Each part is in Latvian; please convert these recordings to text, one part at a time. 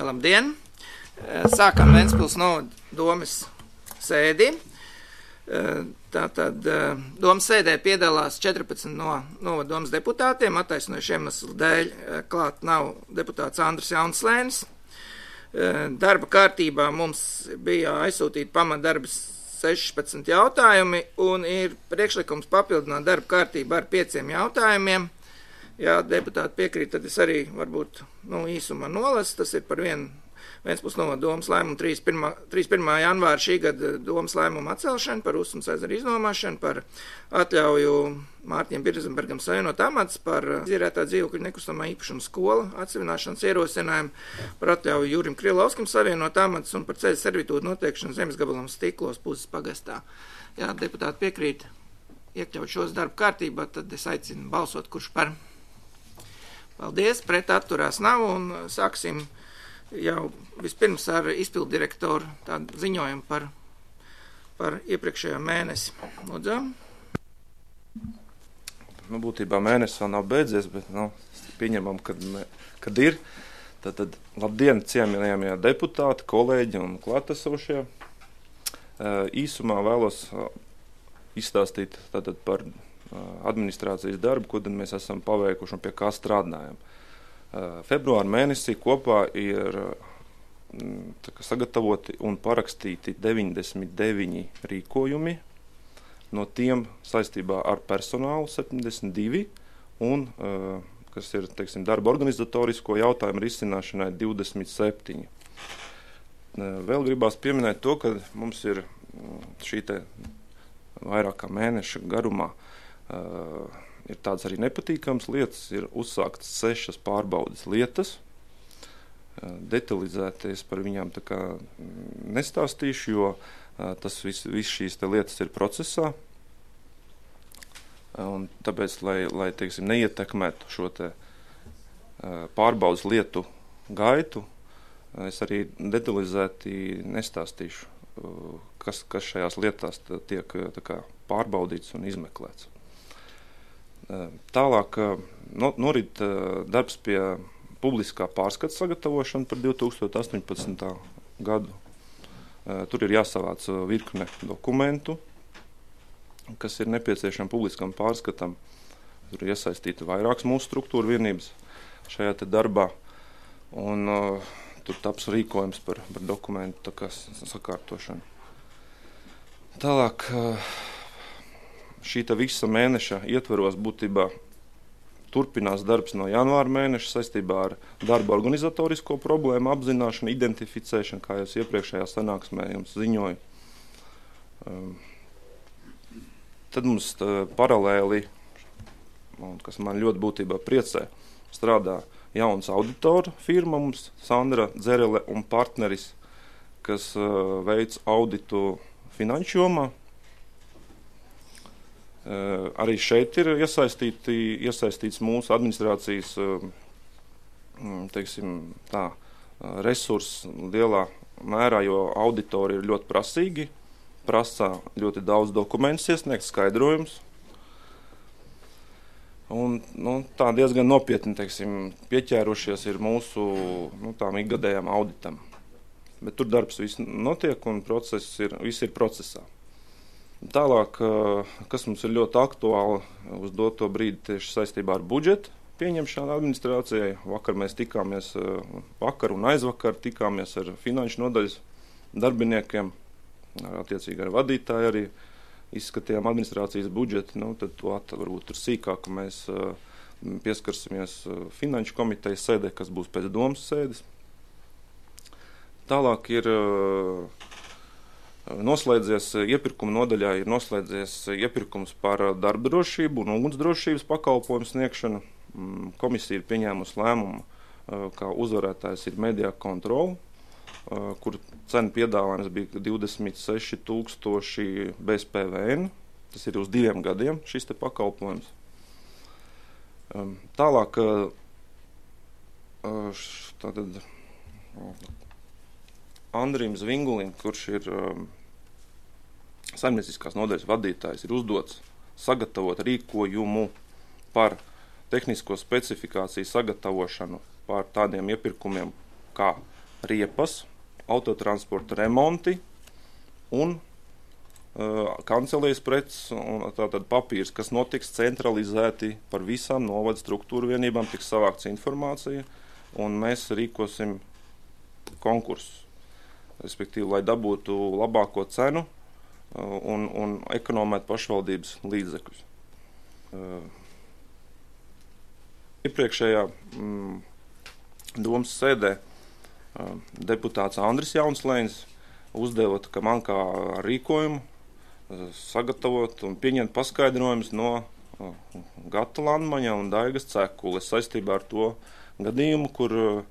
Labdien! Sākam Ventspils novada domes sēdi. Tātad domes sēdē piedalās 14 no novada domes deputātiem. Attaisnojuši iemeslu dēļ klāt nav deputāts Andris Jaunslēnis. Darba kārtībā mums bija aizsūtīti pamatdarbas 16 jautājumi un ir priekšlikums papildināt darba kārtību ar 5 jautājumiem. Ja deputāti piekrīt, tad es arī varbūt īsumā nolasu. Tas ir par vienu Ventspils novada domes lēmumu 31. janvāra šī gada domes lēmumu atcelšanu, par Usmas ezeru iznomāšanu, par atļauju Mārtiņam Birzenbergam savienot amats, par izīrētā dzīvokļa nekustamā īpašuma skola atsevināšanas ierosinājumu, par atļauju Jurim Krilovskim savienot amats un par ceļu servitūtu noteikšanu zemes gabalam Stiklos Puzes pagastā. Ja deputāti piekrīt iekļaut šos darba kārtībā, tad es aicinu balsot, kurš par. Paldies, pret atturās nav un sāksim jau vispirms ar izpildu direktoru tādu ziņojumu par iepriekšējo mēnesi. Lūdzu. Būtībā mēnesis vēl nav beidzies, bet pieņemam, kad ir. Tad labdien, cienījamie deputāti, kolēģi un klātesošie. Īsumā vēlos izstāstīt tātad par administrācijas darbu, ko tad mēs esam paveikuši un pie kā strādājam. Februāra mēnesī kopā ir sagatavoti un parakstīti 99 rīkojumi, no tiem saistībā ar personālu 72 un, kas ir, darba organizatorisko jautājumu risināšanai 27. Vēl gribās pieminēt to, ka mums ir šī te vairāk kā mēneša garumā ir tādas arī nepatīkamas lietas, ir uzsāktas 6 pārbaudes lietas. Detalizēties par viņām tā kā nestāstīšu, jo tas viss šīs te lietas ir procesā. Un tāpēc, lai neietekmētu šo te pārbaudes lietu gaitu, es arī detalizēti nestāstīšu, kas šajās lietās tiek tā kā pārbaudīts un izmeklēts. Tālāk norit darbs pie publiskā pārskata sagatavošana par 2018. gadu. Tur ir jāsavāc virkne dokumentu, kas ir nepieciešami publiskam pārskatam. Tur ir iesaistīti vairākas mūsu struktūra vienības šajā te darbā, un tur taps rīkojums par dokumentu sakārtošanu. Tālāk šīta visa mēneša ietveros būtībā turpinās darbs no janvāra mēneša saistībā ar darba organizatorisko problēmu apzināšanu, identificēšanu, kā jau iepriekšējā sanāksmē jums ziņoju. Tad mums paralēli, kas man ļoti būtībā priecē, strādā jauns auditoru firma mums, Sandra Dzerele un partneris, kas veic auditu finanšu jomā. Arī šeit ir iesaistīts mūsu administrācijas resurss lielā mērā, jo auditori ir ļoti prasīgi, prasa ļoti daudz dokumentus iesniegt, skaidrojums. Un tā diezgan nopietni pieķērušies ir mūsu tām ikgadējām auditam. Bet tur darbs viss notiek un viss ir procesā. Tālāk, kas mums ir ļoti aktuāli uz doto brīdi tieši saistībā ar budžetu pieņemšanu administrācijai. Vakar un aizvakar tikāmies ar finanšu nodaļas darbiniekiem, attiecīgi ar vadītāju arī izskatījām administrācijas budžeti. Tad to varbūt tur sīkāk mēs pieskarsimies finanšu komitejas sēdē, kas būs pēc domas sēdes. Tālāk ir iepirkuma nodaļā ir noslēdzies iepirkums par darba drošību un ugunsdrošības pakalpojumu sniegšanu. Komisija ir pieņēmusi lēmumu, kā uzvarētājs ir Media Control, kur cena piedāvājums bija 26,000 bez PVN. Tas ir uz 2 gadiem šis te pakalpojums. Tālāk Andrim Zvingulim, kurš ir saimnieciskās nodaļas vadītājs, ir uzdots sagatavot rīkojumu par tehnisko specifikāciju sagatavošanu par tādiem iepirkumiem kā riepas, autotransporta remonti un kancelējas preces un tātad papīrs, kas notiks centralizēti par visām novada struktūru vienībām, tiks savākts informācija, un mēs rīkosim konkursus, respektīvi, lai dabūtu labāko cenu un ekonomētu pašvaldības līdzekļus. Iepriekšējā domas sēdē deputāts Andris Jaunslēns uzdeva, ka man kā rīkojumu sagatavot un pieņemt paskaidrojumus no Gata Landmaņa un Daigas Cekules saistībā ar to gadījumu, kur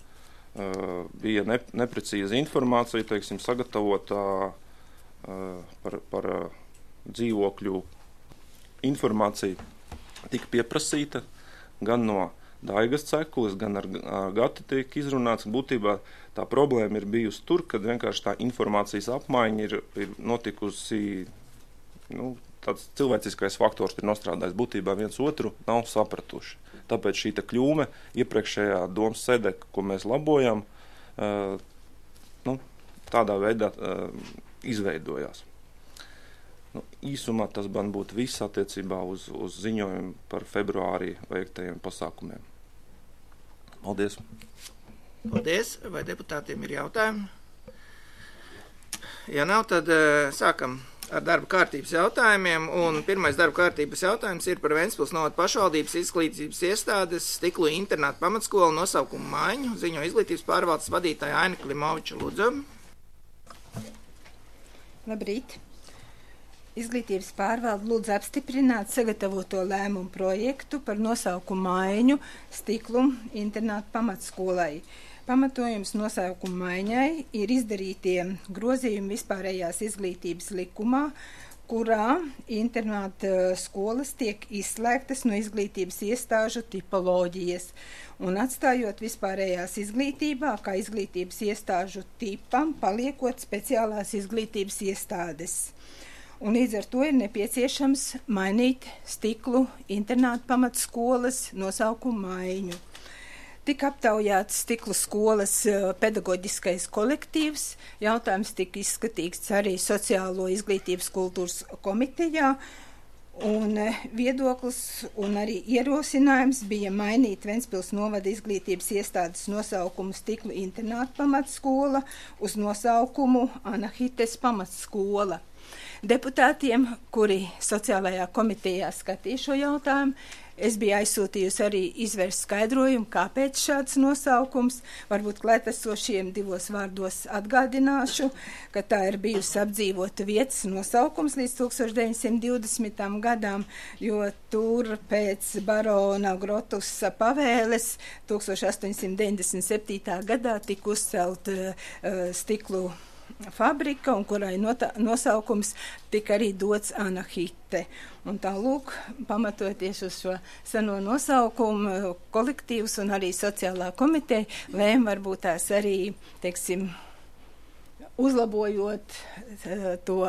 bija neprecīza informācija, teiksim, sagatavotā par dzīvokļu informāciju tika pieprasīta gan no Daigas Cekules, gan ar Gatu tiek izrunāts. Būtībā tā problēma ir bijusi tur, kad vienkārši tā informācijas apmaiņa ir notikusi, tāds cilvēciskais faktors ir nostrādājis. Būtībā viens otru nav sapratuši. Tāpēc šī kļūme iepriekšējā domas sēdē, ko mēs labojam, tādā veidā izveidojās. Īsumā tas man būtu viss attiecībā uz ziņojumu par februārī veiktajiem pasākumiem. Paldies! Paldies! Vai deputātiem ir jautājumi? Ja nav, tad sākam ar darba kārtības jautājumiem, un pirmais darba kārtības jautājums ir par Ventspils novada pašvaldības izglītības iestādes stiklu internātu pamatskolu nosaukumu maiņu. Ziņo izglītības pārvaldes vadītāja Aina Klimoviča, lūdzu. Labrīt! Izglītības pārvalde lūdz apstiprināt sagatavoto lēmumu projektu par nosaukumu maiņu stiklu internātu pamatskolai. Pamatojums nosaukumu maiņai ir izdarītie grozījumi vispārējās izglītības likumā, kurā internāta skolas tiek izslēgtas no izglītības iestāžu tipoloģijas un atstājot vispārējās izglītībā, kā izglītības iestāžu tipam, paliekot speciālās izglītības iestādes. Un līdz ar to ir nepieciešams mainīt stiklu internātu pamatskolas nosaukumu maiņu. Tika aptaujāts stiklu skolas pedagoģiskais kolektīvs, jautājums tika izskatīts arī Sociālo izglītības kultūras komitejā, un viedoklis un arī ierosinājums bija mainīt Ventspils novada izglītības iestādes nosaukumu stiklu internātu pamatskola uz nosaukumu Anahites pamatskola. Deputātiem, kuri sociālajā komitejā skatīja šo jautājumu, es biju aizsūtījusi arī izvērst skaidrojumu, kāpēc šāds nosaukums. Varbūt klētesošiem divos vārdos atgādināšu, ka tā ir bijusi apdzīvota vietas nosaukums līdz 1920. gadām, jo tur pēc barona Grotusa pavēles 1897. gadā tika uzcelt stiklu fabrika, un kurai nosaukums tika arī dots Anahite. Un tā lūk, pamatoties uz šo seno nosaukumu, kolektīvs un arī sociālā komiteja lēma varbūt tās arī, teiksim, uzlabojot to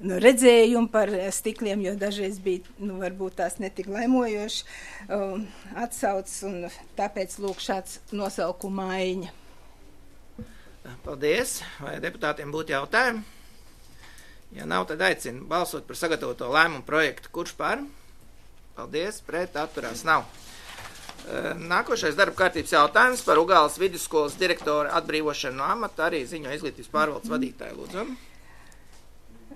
redzējumu par stikliem, jo dažreiz bija, varbūt tās netik laimojoši atsauc, un tāpēc lūk šāds nosaukuma maiņa. Paldies. Vai deputātiem būtu jautājumi? Ja nav, tad aicinu balsot par sagatavoto lēmumu projektu. Kurš par? Paldies. Pret atturās nav. Nākošais darba kārtības jautājums par Ugāles vidusskolas direktora atbrīvošanu no amata arī ziņo izglītības pārvaldes vadītāju. Lūdzu.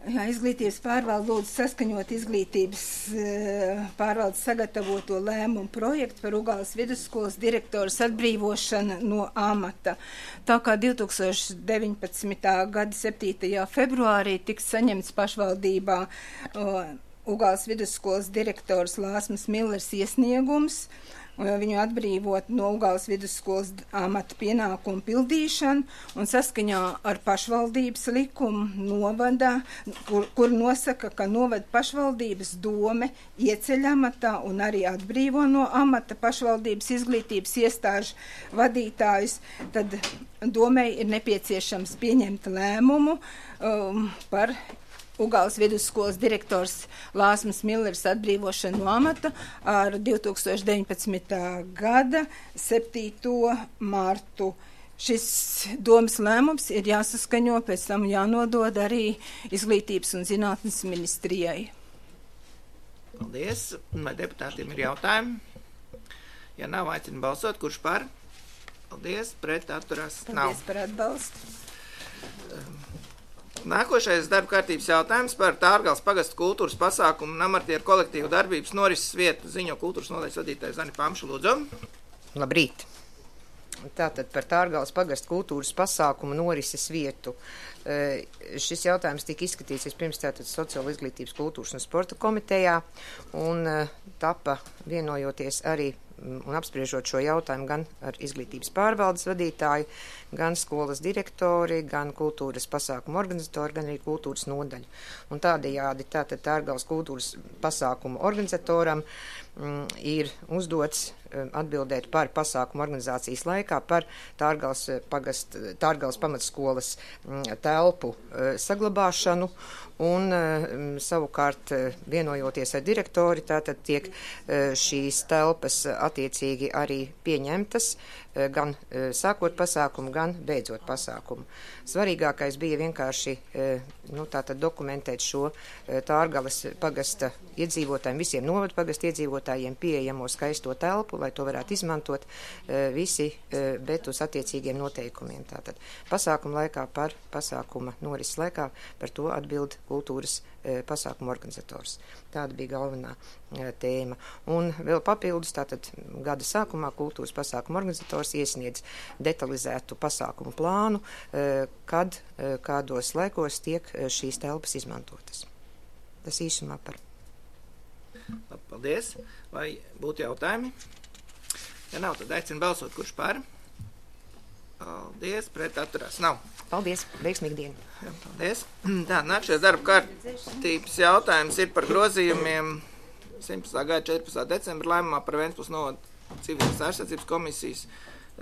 Jā, izglītības pārvalde lūdzu saskaņot izglītības pārvaldes sagatavoto lēmumu projektu par Ugāles vidusskolas direktoras atbrīvošanu no amata. Tā kā 2019. gada 7. februārī tiks saņemts pašvaldībā Ugāles vidusskolas direktors Lāsmas Millers iesniegums, viņu atbrīvot no Ugāles vidusskolas amata pienākumu pildīšanu un saskaņā ar pašvaldības likumu novada, kur nosaka, ka novada pašvaldības dome ieceļ amatā un arī atbrīvo no amata pašvaldības izglītības iestāžu vadītājus, tad domei ir nepieciešams pieņemt lēmumu par Ugāles vidusskolas direktors Lāsmas Millers atbrīvošanu no amata ar 2019. gada 7. martu Šis domas lēmums ir jāsaskaņo, pēc tam jānodod arī Izglītības un zinātnes ministrijai. Paldies. Vai deputātiem ir jautājumi? Ja nav, aicinu balsot. Kurš par? Paldies. Pret atturās nav. Paldies par atbalstu. Nākošais darba kārtības jautājums par Tārgales pagasta kultūras pasākumu un amatieru kolektīvu darbības norises vietu ziņo kultūras nodaļas vadītājs Zani Pamša, lūdzu. Labrīt! Tātad par Tārgales pagasta kultūras pasākumu norises vietu. Šis jautājums tika izskatīts vispirms tātad Sociālo izglītības, kultūras un sporta komitejā un tapa vienojoties arī un apspriežot šo jautājumu gan ar izglītības pārvaldes vadītāju, gan skolas direktori, gan kultūras pasākumu organizatori, gan arī kultūras nodaļu. Un tādējādi tātad Tārgales kultūras pasākumu organizatoram ir uzdots atbildēt par pasākumu organizācijas laikā par Tārgales pamatskolas telpu saglabāšanu un savukārt vienojoties ar direktori, tātad tiek šīs telpas attiecīgi arī pieņemtas, gan sākot pasākumu, gan beidzot pasākumu. Svarīgākais bija vienkārši tātad dokumentēt šo Tārgales pagasta iedzīvotājiem, visiem novadu pagasta iedzīvotājiem pieejamo skaisto telpu, lai to varētu izmantot visi, bet uz attiecīgiem noteikumiem. Tātad pasākuma laikā par pasākuma norises laikā par to atbild kultūras pasākumu organizators. Tāda bija galvenā tēma. Un vēl papildus, tātad gada sākumā kultūras pasākumu organizators iesniedz detalizētu pasākumu plānu, kad, kādos laikos tiek šīs telpas izmantotas. Tas īsumā par. Paldies. Vai būtu jautājumi? Ja nav, tad aicinu balsot, kurš par. Paldies, pret atturās nav. Paldies, veiksmīgi dienu. Jā, paldies. Tā, nākšais darba kārtības jautājums ir par grozījumiem 17. gada 14. decembra lēmumā par Ventspils novada civilās aizsardzības komisijas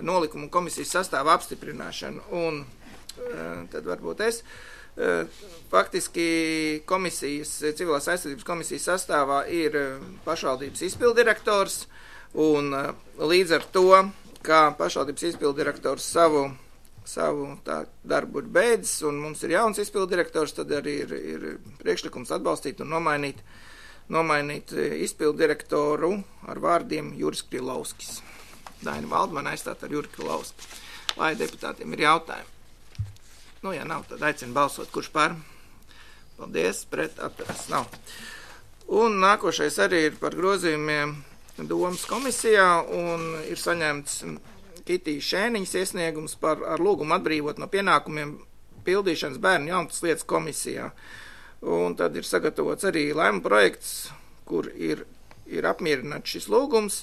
nolikumu komisijas sastāvu apstiprināšanu. Un tad varbūt es. Faktiski komisijas, civilās aizsardzības komisijas sastāvā ir pašvaldības izpildirektors, un līdz ar to, kā pašvaldības izpildirektors savu darbu ir beidzis, un mums ir jauns izpildirektors, tad arī ir priekšlikums atbalstīt un nomainīt izpildirektoru ar vārdiem Juris Krilovskis. Daina Valdmana aizstāt ar Juri Krilovski. Vai deputātiem ir jautājumi? Ja nav, tad aicinu balsot, kurš par. Paldies, pret atturās nav. Un nākošais arī ir par grozījumiem domas komisijā, un ir saņemts Kitijas Šēniņas iesniegums ar lūgumu atbrīvot no pienākumiem pildīšanas bērnu jaunas lietas komisijā. Un tad ir sagatavots arī lēmuma projekts, kur ir apmierināts šis lūgums,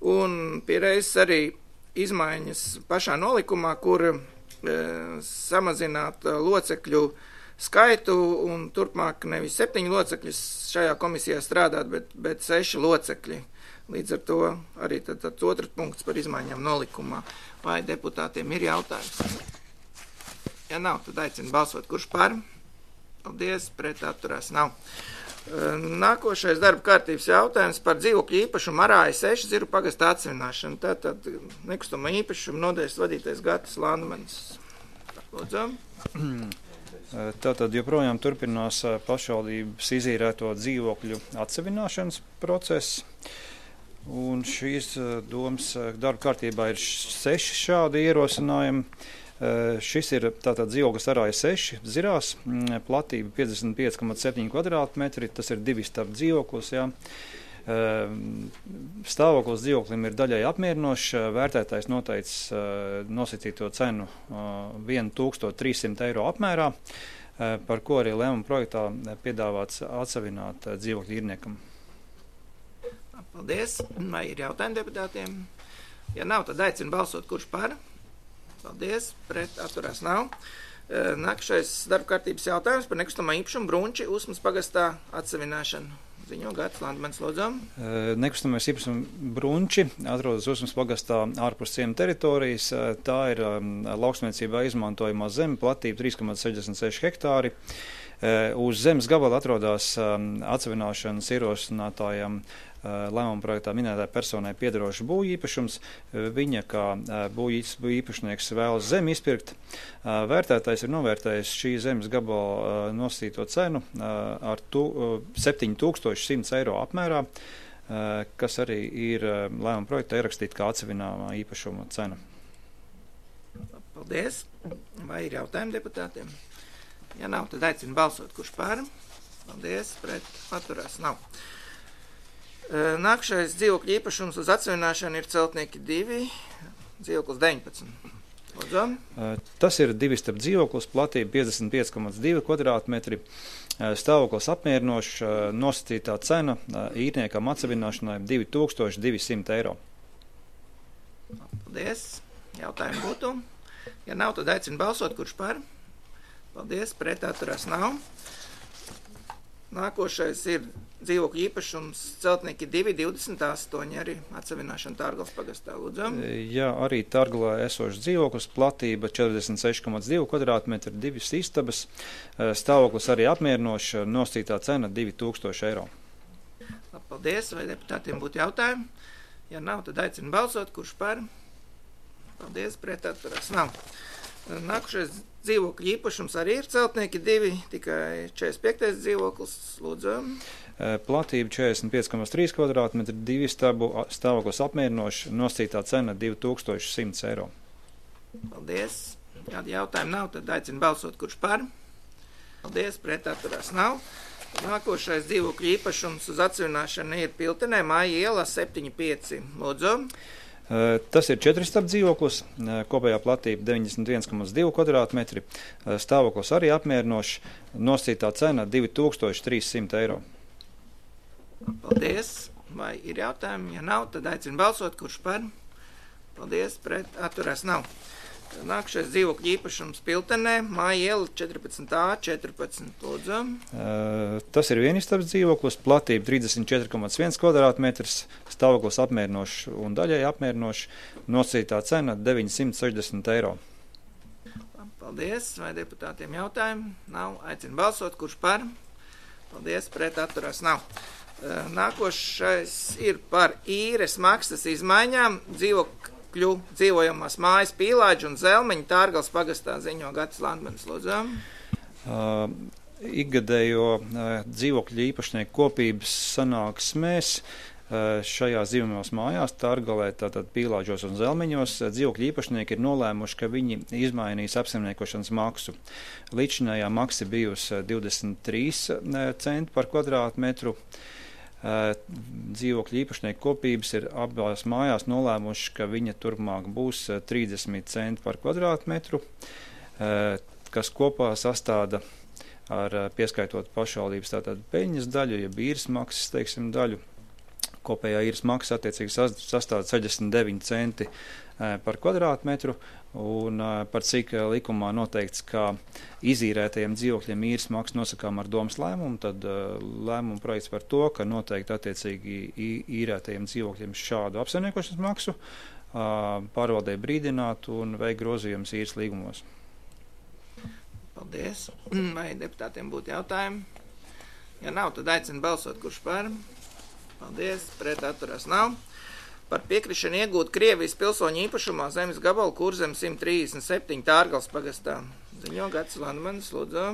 un piereiz arī izmaiņas pašā nolikumā, kur samazināt locekļu skaitu un turpmāk nevis 7 locekļus šajā komisijā strādāt, bet 6 locekļi. Līdz ar to arī tad otrs punkts par izmaiņām nolikumā. Vai deputātiem ir jautājums? Ja nav, tad aicinu balsot, kurš par. Paldies, pret atturās nav. Nākošais darba kārtības jautājums par dzīvokļu īpašumu Arāja 6 Ziru pagasta atsevināšanu. Tātad nekustamā īpašuma nodaļas vadītais Gatis Landmanis. Lūdzu. Tātad joprojām turpinās pašvaldības izīrēto dzīvokļu atsevināšanas process. Un šīs domas darba kārtībā ir 6 šādi ierosinājumi. Šis ir tātad dzīvoklis Arāja 6 Zirās, platība 55,7 kvadrātmetri, tas ir 2 stāvu dzīvoklis, jā. Stāvoklis dzīvoklim ir daļai apmierinošs, vērtētājs noteicis nosacīto cenu 1300 eiro apmērā, par ko arī lēmuma projektā piedāvāts atsevināt dzīvokļu īrniekam. Paldies. Vai ir jautājumi deputātiem? Ja nav, tad aicinu balsot, kurš par. Paldies. Pret atturās nav. Nākamais darba kārtības jautājums par nekustamā īpašumu Brunči Usmas pagastā atsevināšanu. Ziņo Gatis Landmanis, lūdzu. Nekustamais īpašums Brunči atrodas Usmas pagastā ārpus ciema teritorijas. Tā ir lauksaimniecībā izmantojamā zeme, platība 3,66 hektāri. Uz zemes gabala atrodas atsevināšanas ierosinātājam lēmuma projektā minētā personai piederošs būvīpašums. Viņa kā būvīpašnieks vēlas zemi izpirkt. Vērtētājs ir novērtējis šī zemes gabala nosacīto cenu ar 7100 eiro apmērā, kas arī ir lēmuma projektā ierakstīta kā atsevināmā īpašuma cena. Paldies. Vai ir jautājumi deputātiem? Ja nav, tad aicinu balsot, kurš par. Paldies, pret, atturās nav. Nākšais dzīvokļu īpašums uz atsevināšanu ir Celtnieki 2, dzīvoklis 19. Lūdzu. Tas ir divistab dzīvoklis, platība 55,2 kvadrātmetri, stāvoklis apmierinošs, nosacītā cena īrniekam atsevināšanai 2200 eiro. Paldies. Jautājumi būtu. Ja nav, tad aicinu balsot, kurš par. Paldies, pret, atturās nav. Nākošais ir dzīvokļu īpašums Celtnieki 2, 28, arī atsevināšana Tārgales pagastā. Lūdzu. Jā, arī Tārgalā esošs dzīvoklis, platība 46,2 kvadrātmetri, 2 istabas, stāvoklis arī apmierinošs, nosacītā cena 2000 eiro. Paldies, vai deputātiem būtu jautājumi? Ja nav, tad aicinu balsot, kurš par. Paldies, pret, atturās nav. Nākošais dzīvokļu īpašums arī ir Celtnieki 2, tikai 45. dzīvoklis. Lūdzu. Platība 45,3 kvadrātmetri, 2 istabu, stāvoklis apmierinošs, nosacītā cena 2100 eiro. Paldies. Kādi jautājumi nav, tad aicinu balsot, kurš par. Paldies, pret, atturās nav. Nākošais dzīvokļu īpašums uz atsevināšanu ir Piltenē, Māja iela 7,5. Lūdzu. Tas ir 4 istabu dzīvoklis, kopējā platība 91,2 kvadrātmetri, stāvoklis arī apmierinošs, nosacītā cena 2300 eiro. Paldies. Vai ir jautājumi? Ja nav, tad aicinu balsot, kurš par. Paldies, pret, atturās nav. Nākšais dzīvokļu īpašums Piltenē, Māja iela 14A, 14. Lūdzu. Tas ir vienistabas dzīvoklis, platība 34,1 kvadrātmetrs, stāvoklis apmierinošs un daļai apmierinošs, nosacītā cena 960 eiro. Paldies. Vai deputātiem jautājumi? Nav. Aicinu balsot, kurš par. Paldies, pret, atturās nav. Nākošais ir par īres maksas izmaiņām dzīvojamās mājas Pīlāģi un Zelmeņi Tārgales pagastā, ziņo Gatis Landmanis. Lūdzu. Ikgadējo dzīvokļu īpašnieku kopības sanāksmēs šajās dzīvojamās mājās Tārgalē, tātad Pīlāģos un Zelmeņos, dzīvokļu īpašnieki ir nolēmuši, ka viņi izmainīs apsaimniekošanas maksu. Līdzinājā maksa bijusi 23 centi par kvadrātmetru. Dzīvokļu īpašnieku kopības ir abās mājās nolēmuši, ka viņa turpmāk būs 30 centi par kvadrātmetru, kas kopā sastāda ar pieskaitot pašvaldības tātad peļņas daļu, ja īres maksas, teiksim, daļu. Kopējā īres maksa attiecīgi sastāda 69 centi par kvadrātmetru, un par cik likumā noteikts, ka izīrētajiem dzīvokļiem īres maksa nosakām ar domas lēmumu, tad lēmumu projekts par to, ka noteikti attiecīgi īrētajiem dzīvokļiem šādu apsaimniekošanas maksu pārvaldē brīdināt un veikt grozījumus īres līgumos. Paldies. Vai deputātiem būtu jautājumi? Ja nav, tad aicinu balsot, kurš par. Paldies, pret, atturās nav. Par piekrišanu iegūt Krievijas pilsoņu īpašumā zemes gabalu Kurzem 137 Tārgales pagastā. Ziņo Gatis Landmanis, lūdzu.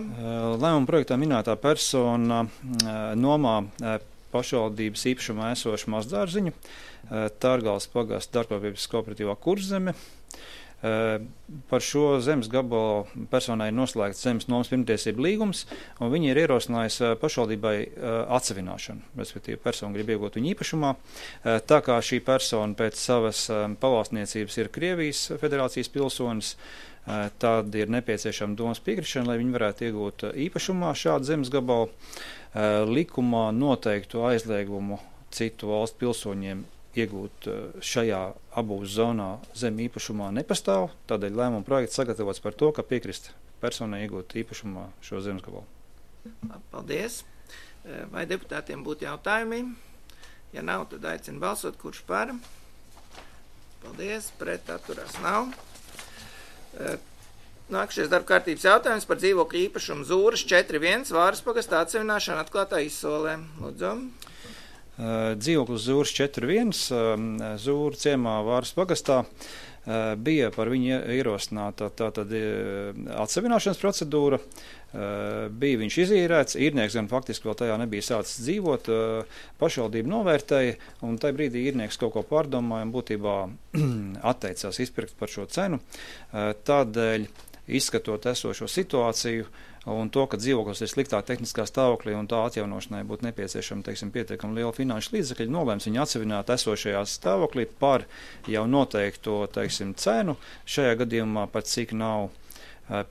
Lēmuma projektā minētā persona nomā pašvaldības īpašumā esošu mazdārziņu Tārgales pagasta darbības kooperatīvā Kurzeme. Par šo zemes gabalu personai ir noslēgts zemes nomas pirmtiesību līgums, un viņi ir ierosinājusi pašvaldībai atsevināšanu, respektīvi persona grib iegūt viņu īpašumā. Tā kā šī persona pēc savas pavalstniecības ir Krievijas federācijas pilsonis, tad ir nepieciešama domas piekrišana, lai viņi varētu iegūt īpašumā šādu zemes gabalu. Likumā noteiktu aizliegumu citu valstu pilsoņiem iegūt šajā abūs zonā zemi īpašumā nepastāv, tādēļ lēmuma projekts sagatavots par to, ka piekrist personai iegūt īpašumā šo zemes gabalu. Paldies. Vai deputātiem būtu jautājumi? Ja nav, tad aicinu balsot, kurš par. Paldies, pret, atturās nav. Nākšies darba kārtības jautājums par dzīvokļu īpašumu Zūras 4.1 Vāras pagastā atsevināšanu atklātā izsolē. Lūdzu. Dzīvoklis Zūras 4.1, Zūra ciemā Vāras pagastā, bija par viņu ierosināta tātad atsevināšanas procedūra, bija viņš izīrēts, īrnieks gan faktiski vēl tajā nebija sācis dzīvot, pašvaldība novērtēja, un tajā brīdī īrnieks kaut ko pārdomāja un būtībā atteicās izpirkt par šo cenu. Tādēļ, izskatot esošo situāciju un to, ka dzīvoklis ir sliktā tehniskā stāvoklī un tā atjaunošanai būtu nepieciešama, pietiekami liela finanšu līdzekļi, nolēms viņu atsevināt esošajā stāvoklī par jau noteikto, cenu. Šajā gadījumā pat cik nav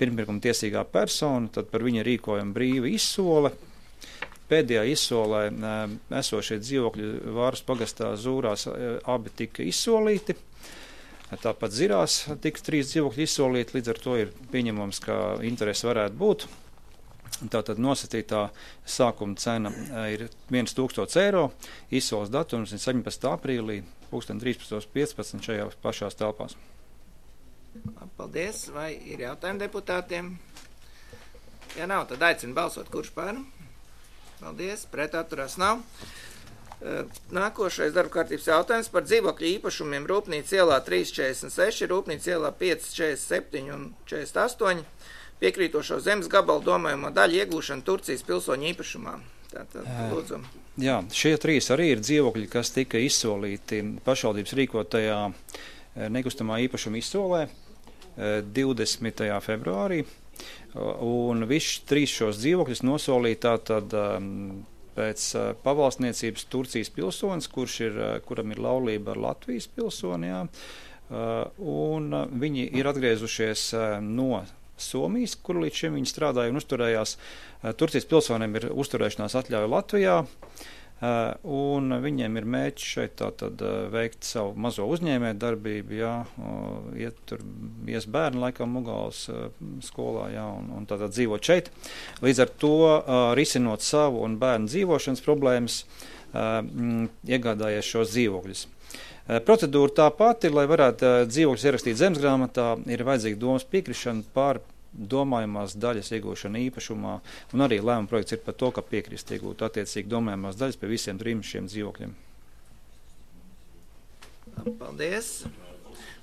pirmpirkuma tiesīgā persona, tad par viņa rīkojumu brīva izsole. Pēdējā izsolē esošie dzīvokļi Vāras pagastā Zūrās abi tika izsolīti. Tāpat Zirās tika 3 dzīvokļi izsolīti, līdz ar to ir pieņemams, ka interesi varētu būt. Tātad nosacītā sākuma cena ir 1000 eiro, izsoles datums ir 17. aprīlī, 13.15 šajā pašās telpās. Paldies. Vai ir jautājumi deputātiem? Ja nav, tad aicinu balsot, kurš par. Paldies. Pret atturās nav. Nākošais darba kārtības jautājums par dzīvokļu īpašumiem Rūpnīca ielā 346, Rūpnīca ielā 547 un 48, piekrītošo zemes gabalu domājamo daļu iegūšanu Turcijas pilsoņu īpašumā. Tātad, lūdzu. Jā, šie 3 arī ir dzīvokļi, kas tika izsolīti pašvaldības rīkotajā nekustamā īpašuma izsolē 20. februārī, un visus 3 šos dzīvokļus nosolīja tātad pēc pavalstniecības Turcijas pilsonis, kuram ir laulība ar Latvijas pilsoni, jā, un viņi ir atgriezušies no Somijas, kur līdz šim viņi strādāja un uzturējās. Turcijas pilsoniem ir uzturēšanās atļauja Latvijā, un viņiem ir mērķis šeit tātad veikt savu mazo uzņēmēju darbību, jā, ies bērni laikam Mugāles skolā, jā, un tātad dzīvot šeit. Līdz ar to risinot savu un bērnu dzīvošanas problēmas, iegādājies šos dzīvokļus. Procedūra tā pati, lai varētu dzīvokļus ierakstīt zemesgrāmatā, ir vajadzīga domas piekrišana par domājumās daļas iegūšana īpašumā, un arī lēmuma projekts ir par to, ka piekrist iegūt attiecīgi domājumās daļas pie visiem 3 šiem dzīvokļiem. Paldies.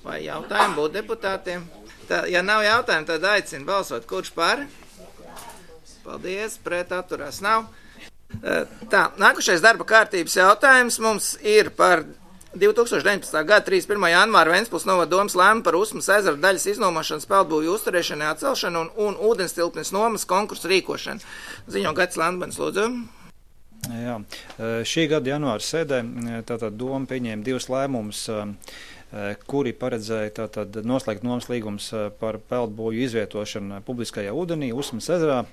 Vai jautājumi būtu deputātiem? Ja nav jautājumu, tad aicinu balsot, kurš par? Paldies, pret atturās nav. Tā, nākušais darba kārtības jautājums mums ir par 2019. gada 31. janvāra Ventspils novada domas lēmumu par Usmas ezera daļas iznomošanas peldbūvju uzturēšanai atcelšanu un ūdenstilpnes nomas konkursu rīkošanu. Ziņo Gatis Landmanis, lūdzu. Jā, šī gada janvāra sēdē tātad doma pieņēma 2 lēmumus, kuri paredzēja tātad noslēgt nomas līgums par peldbūvju izvietošanu publiskajā ūdenī Usmas ezerā,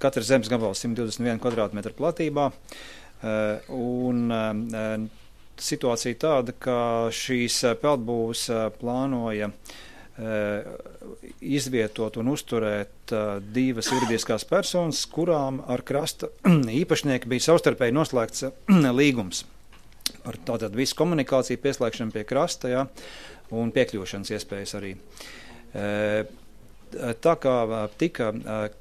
katra zemes gabals 121 kvadrātmetru platībā, un situācija tāda, ka šīs peldbūves plānoja izvietot un uzturēt 2 juridiskās personas, kurām ar krasta īpašnieki bija savstarpēji noslēgts līgums par tātad visu komunikāciju pieslēgšanu pie krasta, jā, un piekļūšanas iespējas arī. Tā kā tika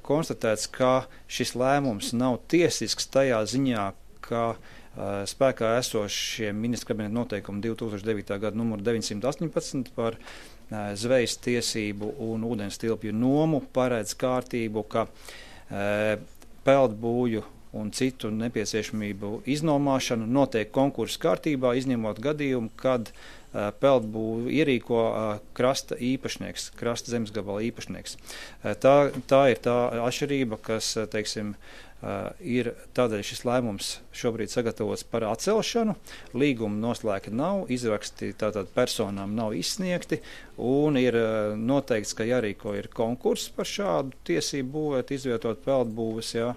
konstatēts, ka šis lēmums nav tiesisks tajā ziņā, ka spēkā esošie ministra kabineta noteikumi 2009. gada numuru 918 par zvejas tiesību un ūdens tilpju nomu paredz kārtību, ka peldbūvju un citu nepieciešamību iznomāšanu notiek konkursu kārtībā, izņemot gadījumu, kad peldbūvju ierīko krasta īpašnieks, krasta zemesgabala īpašnieks. Tā ir tā atšķirība, kas, ir tādēļ šis lēmums šobrīd sagatavots par atcelšanu, līguma noslēgta nav, izraksti tātad personām nav izsniegti, un ir noteikts, ka jārīko ir konkurss par šādu tiesību būvēt, izvietot peldbūves, jā.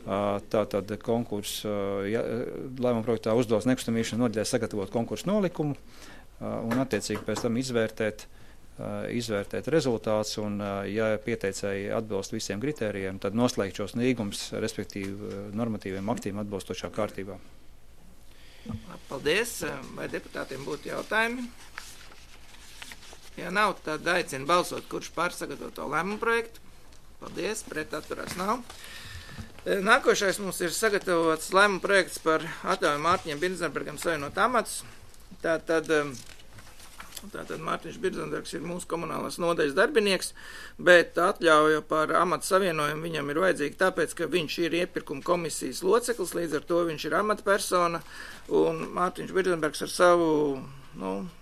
Tātad konkurss lēmuma projektā uzdos nekustamīšanu nodaļai sagatavot konkursu nolikumu, un attiecīgi pēc tam izvērtēt rezultātus, un ja pieteicēji atbilst visiem kritērijiem, tad noslēgt šos līgumus, respektīvi normatīviem aktiem atbilstošā kārtībā. Paldies. Vai deputātiem būtu jautājumi? Ja nav, tad aicinu balsot, kurš par sagatavoto lēmumu projektu. Paldies. Pret atturās nav. Nākošais mums ir sagatavots lēmuma projekts par atļauju Mārtiņam Birzenbergam savienot amatus. Tātad Mārtiņš Birzenbergs ir mūsu komunālās nodaļas darbinieks, bet atļauja par amatu savienojumu viņam ir vajadzīga tāpēc, ka viņš ir iepirkuma komisijas loceklis, līdz ar to viņš ir amatpersona, un Mārtiņš Birzenbergs ar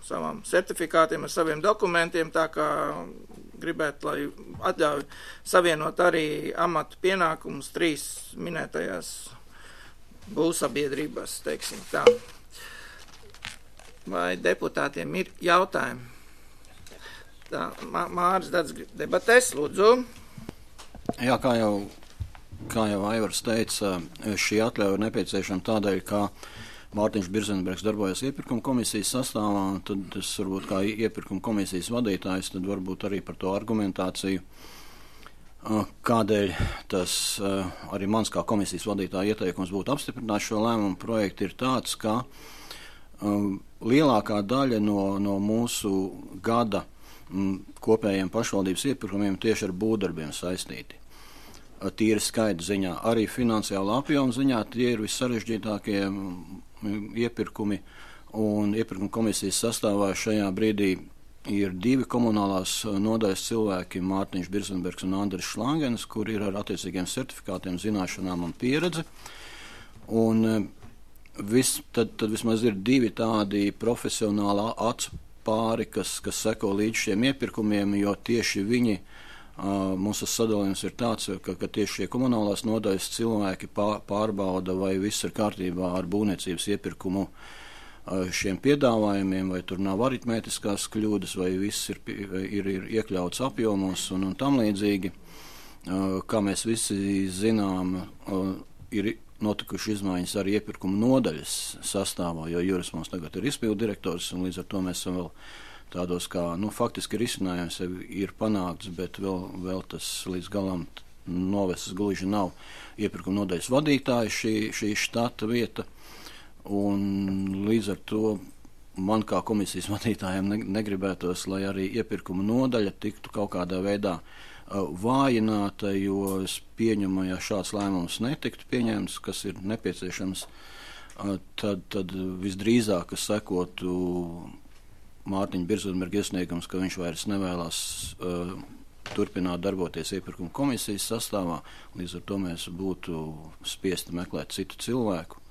savām certifikātiem, ar saviem dokumentiem, tā kā gribētu, lai atļauj savienot arī amatu pienākumus 3 minētajās būvsabiedrībās, teiksim tā. Vai deputātiem ir jautājumi? Tā, Māris Dats debatēs, lūdzu. Jā, kā jau Aivars teica, šī atļauja ir nepieciešama tādēļ, ka Mārtiņš Birzenbergs darbojas iepirkuma komisijas sastāvā, un tad es varbūt kā iepirkuma komisijas vadītājs, tad varbūt arī par to argumentāciju, kādēļ tas arī mans kā komisijas vadītāja ieteikums būtu apstiprināt šo lēmumu projektu, ir tāds, ka lielākā daļa no mūsu gada kopējiem pašvaldības iepirkumiem tieši ar būvdarbiem saistīti. Tīri skaita ziņā, arī finansiāla apjoma ziņā tie ir vissarežģītākie iepirkumi, un iepirkuma komisijas sastāvā šajā brīdī ir 2 komunālās nodaļas cilvēki, Mārtiņš Birzenbergs un Andris Šlangens, kur ir ar attiecīgiem certifikātiem, zināšanām un pieredzi. Un tad vismaz ir 2 tādi profesionāli acu pāri, kas seko līdz šiem iepirkumiem, jo tieši viņi, mūsu sadalījums ir tāds, ka tieši šie komunālās nodaļas cilvēki pārbauda, vai viss ir kārtībā ar būvniecības iepirkumu šiem piedāvājumiem, vai tur nav aritmētiskās kļūdas, vai viss ir iekļauts apjomos un tam līdzīgi. Kā mēs visi zinām, ir notikuši izmaiņas arī iepirkuma nodaļas sastāvā, jo Juris mums tagad ir izpildu direktors, un līdz ar to mēs esam vēl tādos kā, faktiski risinājums ir panākts, bet vēl tas līdz galam novests gluži nav iepirkuma nodaļas vadītāja šī štata vieta, un līdz ar to man kā komisijas vadītājiem negribētos, lai arī iepirkuma nodaļa tiktu kaut kādā veidā vājināta, jo es pieņemu, ja šāds lēmums netiktu pieņemts, kas ir nepieciešams, tad visdrīzāk sekotu Mārtiņa Birzenberga iesniegums, ka viņš vairs nevēlas turpināt darboties iepirkuma komisijas sastāvā, līdz ar to mēs būtu spiesti meklēt citu cilvēku,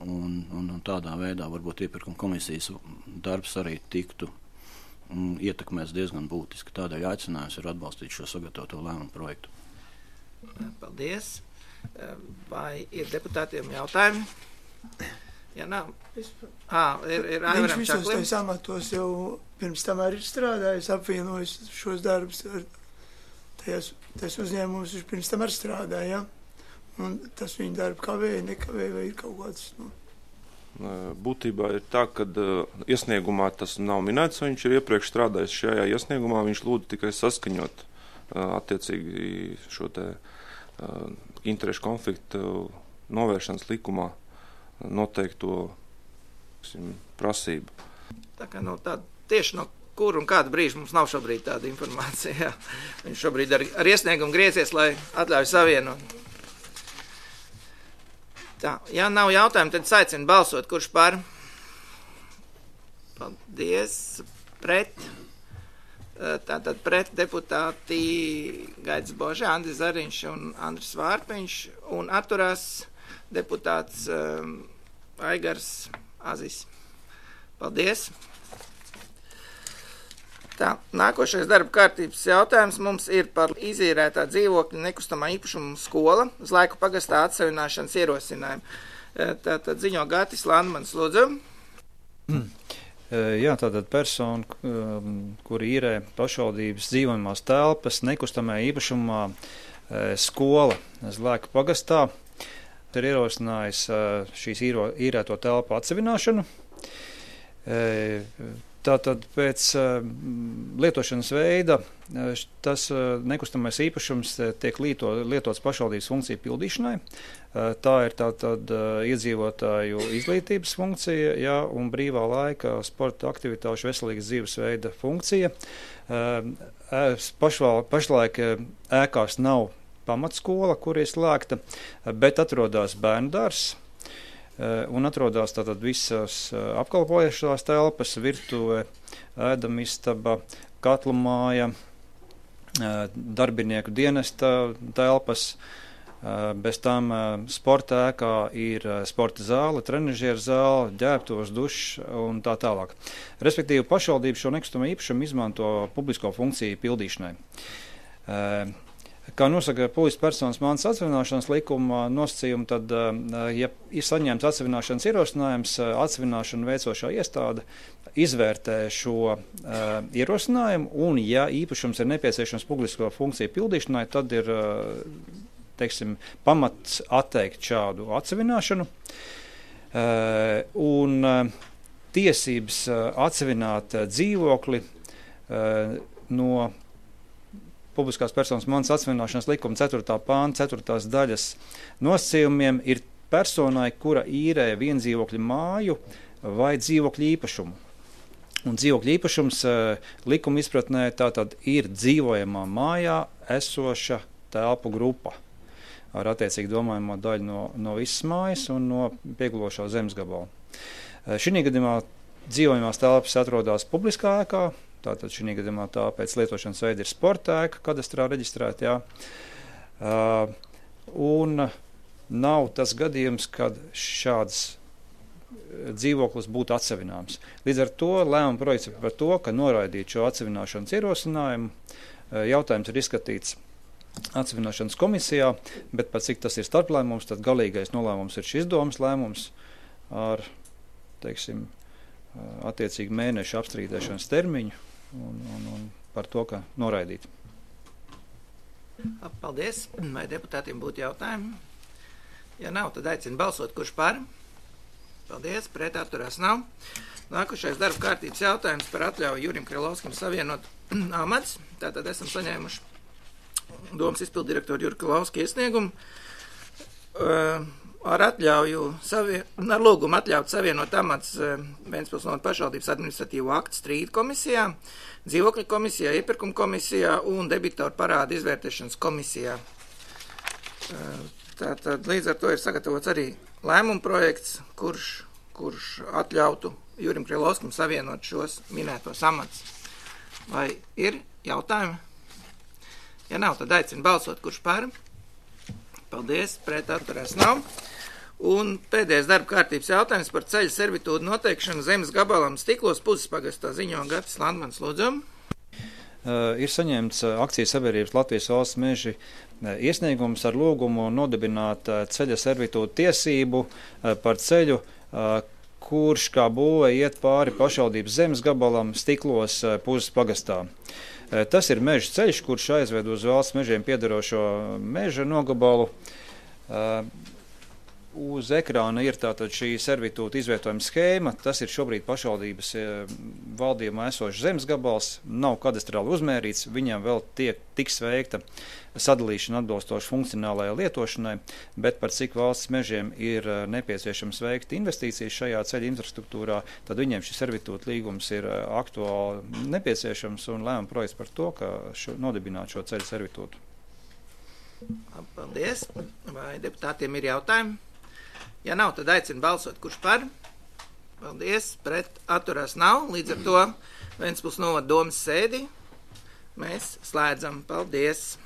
un tādā veidā varbūt iepirkuma komisijas darbs arī tiktu ietekmēs diezgan būtiski. Tādēļ aicinājums ir atbalstīt šo sagatavoto lēmumu projektu. Paldies. Vai ir deputātiem jautājumi? Ja nav. Ir Viņš visos tais amatos jau pirms tam arī ir strādājis, apvienojis šos darbus ar tais uzņēmumus, viņš pirms tam arī strādāja, un tas viņa darbu kavēja, nekavēja, vai ir kaut kāds, Būtībā ir tā, ka iesniegumā tas nav minēts, viņš ir iepriekš strādājis šajā iesniegumā, viņš lūdza tikai saskaņot attiecīgi šo te interešu konfliktu novēršanas likumā noteikto prasību. Tā kā tieši no kur un kāda brīža mums nav šobrīd tāda informācija. Jā. Viņš šobrīd ar iesniegumu griezies, lai atļauj savienot. Tā, ja nav jautājumu, tad aicinu balsot, kurš par. Paldies. Pret. Tātad pret deputāti Gaidis Boža, Andris Zariņš un Andris Vārpiņš, un atturās deputāts Aigars Azis. Paldies. Tā, nākošais darba kārtības jautājums mums ir par izīrētā dzīvokļa nekustamā īpašuma skola uz Laiku pagastā atsavināšanas ierosinājumu. Tātad ziņo Gatis Landmans, lūdzu. Jā, tātad persona, kuri īrē pašvaldības dzīvojamās telpas nekustamā īpašumā skola uz Laiku pagastā, ir ierosinājis šīs īrēto telpu atsavināšanu. Tātad pēc lietošanas veida tas nekustamais īpašums tiek lietots pašvaldības funkciju pildīšanai. Tā ir tātad iedzīvotāju izglītības funkcija, jā, un brīvā laika sporta aktivitāšu veselīgas dzīvesveida funkcija. Pašlaik ēkās nav pamatskola, kur ir slēgta, bet atrodas bērndārs un atrodas tātad visas apkalpojušās telpas, virtuve, ēdamistaba, katlu māja, darbinieku dienesta telpas. Bez tam sporta ēkā ir sporta zāle, trenažieru zāle, ģērbtuves, dušs un tā tālāk. Respektīvi, pašvaldība šo nekustamo īpašumu izmanto publisko funkciju pildīšanai. Kā nosaka publiskas personas mantas atsevināšanas likuma nosacījumi, tad, ja ir saņemts atsevināšanas ierosinājums, atsevināšanu veicošā iestāde izvērtē šo ierosinājumu, un ja īpašums ir nepieciešams publisko funkciju pildīšanai, tad ir pamats atteikt šādu atsevināšanu, un tiesības atsevināt dzīvokli no publiskās personas mantas atsevināšanas likuma 4. pānta 4. daļas nosacījumiem ir personai, kura īrē viendzīvokļa māju vai dzīvokļa īpašumu. Un dzīvokļa īpašums likuma izpratnē tātad ir dzīvojamā mājā esoša telpu grupa ar attiecīgi domājamo daļu no visas mājas un no piegulošā zemes gabala. Šī gadījumā dzīvojamās telpas atrodas publiskā ēkā, tātad šī gadījumā tā pēc lietošanas veida ir sporta ēka, kadastrā reģistrēta, un nav tas gadījums, kad šāds dzīvoklis būtu atsevināms. Līdz ar to lēmuma projekts par to, ka noraidīt šo atsevināšanas ierosinājumu, jautājums ir izskatīts atsevināšanas komisijā, bet pat cik tas ir starplēmums, tad galīgais nolēmums ir šis domas lēmums ar, attiecīgi mēnešu apstrīdēšanas termiņu un par to, ka noraidīt. Paldies. Vai deputātiem būtu jautājumi? Ja nav, tad aicinu balsot, kurš par. Paldies, pret atturās nav. Nākošais darba kārtības jautājums par atļauju Jurim Krilovskim savienot amats. Tātad esam saņēmuši domas izpildirektoru Juri Krilovski iesniegumu ar lūgumu atļaut savienot amats Ventspils novada pašvaldības administratīvo aktu strīdu komisijā, dzīvokļu komisijā, iepirkuma komisijā un debitoru parādu izvērtēšanas komisijā. Tātad līdz ar to ir sagatavots arī lēmuma projekts, kurš atļautu Jurim Krilovskim savienot šos minētos amats. Vai ir jautājumi? Ja nav, tad aicinu balsot, kurš par. Paldies, pret atturās nav. Un pēdējais darba kārtības jautājums par ceļu servitūdu noteikšanu zemes gabalam Stiklos Pusaspagastā ziņo Gatis Landmans, lūdzu. Ir saņemts akcijas sabiedrības Latvijas valsts meži iesniegums ar lūgumu nodibināt ceļa servitūdu tiesību par ceļu, kurš kā būve iet pāri pašvaldības zemes gabalam Stiklos Pusaspagastā. Tas ir meža ceļš, kurš aizved uz valsts mežiem piederošo meža nogabalu. Uz ekrāna ir tātad šī servitūta izvietojuma schēma. Tas ir šobrīd pašvaldības valdījumā esošs zemes gabals, nav kadastrāli uzmērīts, viņam vēl tiks veikta sadalīšana atbilstoši funkcionālajai lietošanai, bet par cik valsts mežiem ir nepieciešams veikt investīcijas šajā ceļa infrastruktūrā, tad viņiem šis servitūta līgums ir aktuāli nepieciešams un lēmuma projekts par to, ka nodibināt šo ceļa servitūtu. Paldies. Vai deputātiem ir jautājumi? Ja nav, tad aicinu balsot, kurš par. Paldies, pret atturās nav. Līdz ar to Ventspils novada domas sēdi mēs slēdzam. Paldies!